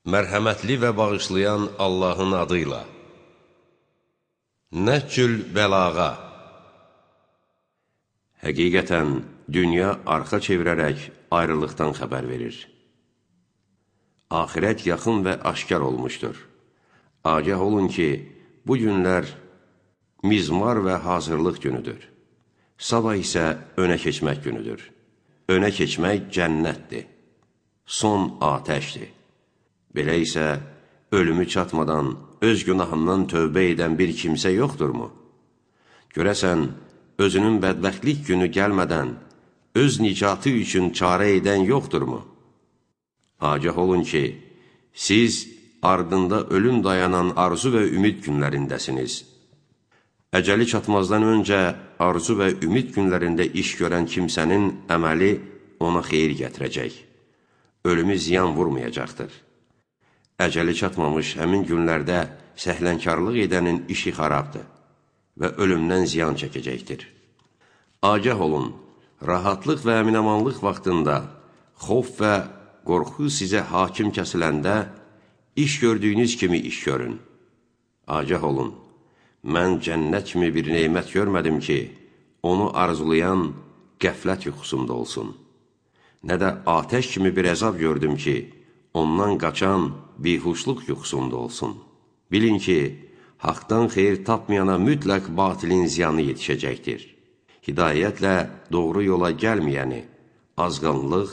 Mərhəmətli və bağışlayan Allahın adıyla. Nəhcül bəlağa. Həqiqətən, dünya arxa çevirərək ayrılıqdan xəbər verir. Axirət yaxın və aşkar olmuşdur. Agah olun ki, bu günlər mizmar və hazırlıq günüdür. Sabah isə önə keçmək günüdür. Önə keçmək cənnətdir. Son atəşdir. Belə isə, ölümü çatmadan, öz günahından tövbə edən bir kimsə yoxdurmu? Görəsən, özünün bədbəxtlik günü gəlmədən, öz nicatı üçün çarə edən yoxdurmu? Agah olun ki, siz ardında ölüm dayanan arzu və ümid günlərindəsiniz. Əcəli çatmazdan öncə arzu və ümid günlərində iş görən kimsənin əməli ona xeyir gətirəcək. Ölümü ziyan vurmayacaqdır. Əcəli çatmamış həmin günlərdə səhlənkarlıq edənin işi xarabdır və ölümdən ziyan çəkəcəkdir. Agah olun, rahatlıq və əminamanlıq vaxtında, xof və qorxu sizə hakim kəsiləndə, iş gördüyünüz kimi iş görün. Agah olun, mən cənnət kimi bir neymət görmədim ki, onu arzulayan qəflət yuxusunda olsun. Nə də atəş kimi bir əzab gördüm ki, ondan qaçan bihuşluq yuxusunda olsun. Bilin ki, haqdan xeyir tapmayana mütləq batilin ziyanı yetişəcəkdir. Hidayətlə doğru yola gəlməyəni, azğanlıq,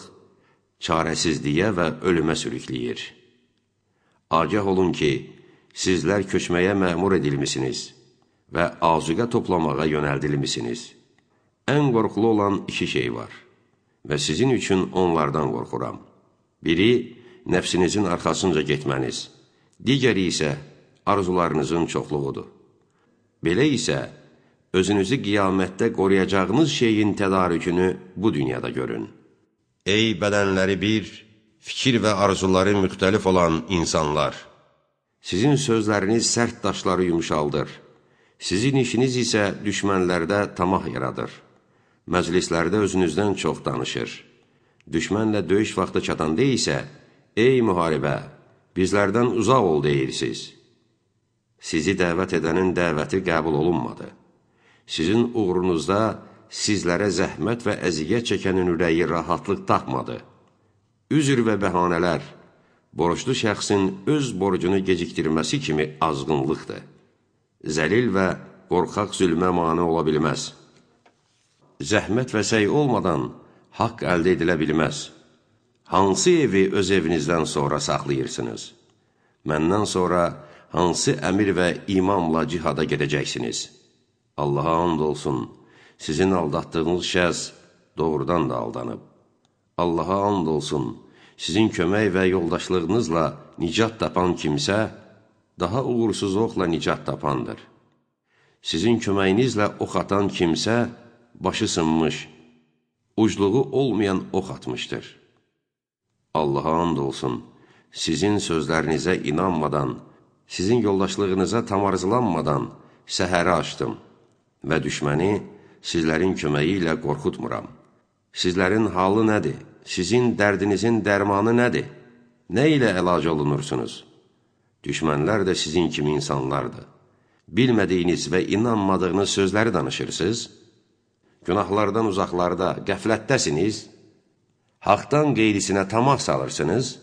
çarəsizliyə və ölümə sürükləyir. Agah olun ki, sizlər köçməyə məmur edilmisiniz və azuqə toplamağa yönəldilmisiniz. Ən qorxulu olan iki şey var və sizin üçün onlardan qorxuram. Biri, nəfsinizin arxasınca getməniz, digəri isə arzularınızın çoxluğudur. Belə isə, özünüzü qiyamətdə qoruyacağınız şeyin tədarükünü bu dünyada görün. Ey bədənləri bir, fikir və arzuları müxtəlif olan insanlar! Sizin sözləriniz sərt daşları yumuşaldır. Sizin işiniz isə düşmənlərdə tamah yaradır. Məclislərdə özünüzdən çox danışır. Düşmənlə döyüş vaxtı çatanda isə, ey müharibə, bizlərdən uzaq ol deyirsiniz. Sizi dəvət edənin dəvəti qəbul olunmadı. Sizin uğrunuzda sizlərə zəhmət və əziyyət çəkənin ürəyi rahatlıq tapmadı. Üzr və bəhanələr, borclu şəxsin öz borcunu gecikdirməsi kimi azğınlıqdır. Zəlil və qorxaq zülmə mane ola bilməz. Zəhmət və səy olmadan haqq əldə edilə bilməz. Hansı evi öz evinizdən sonra saxlayırsınız? Məndən sonra hansı əmir və imamla cihada gedəcəksiniz? Allaha and olsun, sizin aldatdığınız şəxs doğrudan da aldanıb. Allaha and olsun, sizin kömək və yoldaşlığınızla nicat tapan kimsə, daha uğursuz oxla nicat tapandır. Sizin köməyinizlə ox atan kimsə, başı sınmış, ucluğu olmayan ox atmışdır. Allaha and olsun, sizin sözlərinizə inanmadan, sizin yoldaşlığınıza tam arzulanmadan səhəri açdım və düşməni sizlərin köməyi ilə qorxutmuram. Sizlərin halı nədir? Sizin dərdinizin dərmanı nədir? Nə ilə əlac olunursunuz? Düşmənlər də sizin kimi insanlardır. Bilmədiyiniz və inanmadığınız sözləri danışırsınız. Günahlardan uzaqlarda, qəflətdəsiniz. Haqdan qeyrisinə tamah salırsınız.